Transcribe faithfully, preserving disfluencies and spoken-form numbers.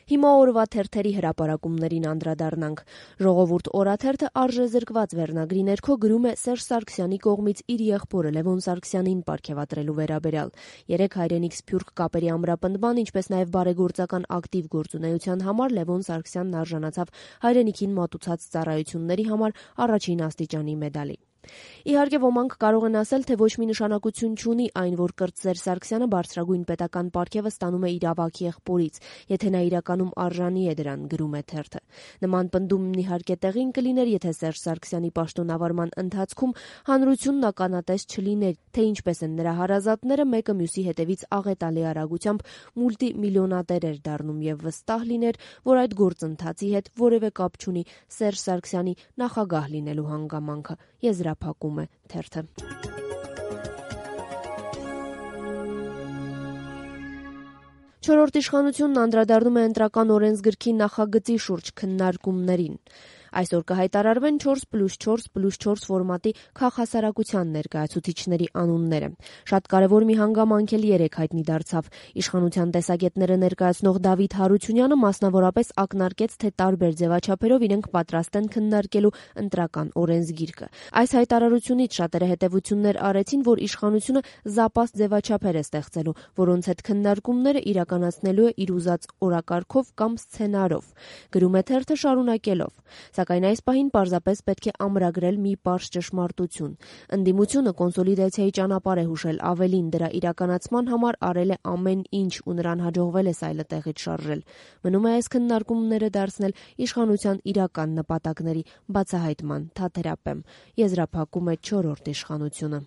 Հիմա օրվա թերթերի հրապարակումներին անդրադառնանք։ Ժողովուրդ օրաթերթը արժեզրկված վերնագրի ներքո գրում է Սերժ Սարգսյանի կողմից իր եղբորը Լևոն Սարգսյանին պարգևատրելու վերաբերյալ։ Երեք հայրենիք-սփյուռք կապերի ամրապնդման, ինչպես նաև բարեգործական ակտիվ գործունեության համար Լևոն Սարգսյանն արժանացավ հայրենիքին մատուցած ծառայությունների համար առաջին աստիճանի մեդալի։ Իհարկե, ոմանք կարող են ասել, թե ոչ մի նշանակություն չունի այն, որ Սերժ Սարգսյանը բարձրագույն պետական պարգևը ստանում է իր ավագ եղբորից, եթե նա իրականում արժանի է դրան, գրում է թերթը։ Նման պնդումն իհարկե տեղին կլիներ, եթե Սերժ Սարգսյանի պաշտոնավարման ընթացքում հանրությունն ականատես չլիներ, թե ինչպես են նրա հարազատները մեկը մյուսի հետևից աղետալի արագությամբ մուլտիմիլիոնատեր էր դառնում եւ վստահ լիներ, որ այդ գործընթացի հետ որևէ կապ չունի Սերժ Սարգսյանի նախագահ լինելու հանգամանքը, եզրափակում է թերթը։ Չորրորդ իշխանությունն անդրադառնում է ընտրական օրենսգրքի նախագծի շուրջ քննարկումներին։ Այսօր կհայտարարվեն չորս պլյուս չորս պլյուս չորս ֆորմատի քաղհասարակության ներկայացուցիչների անունները։ Շատ կարևոր մի հանգամանք էլ երեկ հայտնի դարձավ։ Իշխանության տեսակետները ներկայացնող Դավիթ Հարությունյանը մասնավորապես ակնարկեց, թե տարբեր ձևաչափերով իրենք պատրաստ են քննարկելու ընտրական օրենսգիրքը։ Այս հայտարարությունից շատերը հետևություններ արեցին, որ իշխանությունը զապաստ ձևաչափեր է ստեղծելու, որոնց հետ քննարկումները իրականացնելու է իր ուզած օրակարգով կամ սցենարով, գրում է թերթը շարունակելով։ Սակայն այս պահին պարզապես պետք է ամրագրել մի պարզ ճշմարտություն։ Ընդդիմությունը կոնսոլիդացիայի ճանապարհ է հուշել, ավելին դրա իրականացման համար արել է ամեն ինչ ու նրան հաջողվել է սայլը տեղից շարժել։ Մնում է այս քննարկումները դարձնել իշխանության իրական նպատակների բացահայտման թատերապեմ, եզրափակում է չորրորդ իշխանությունը։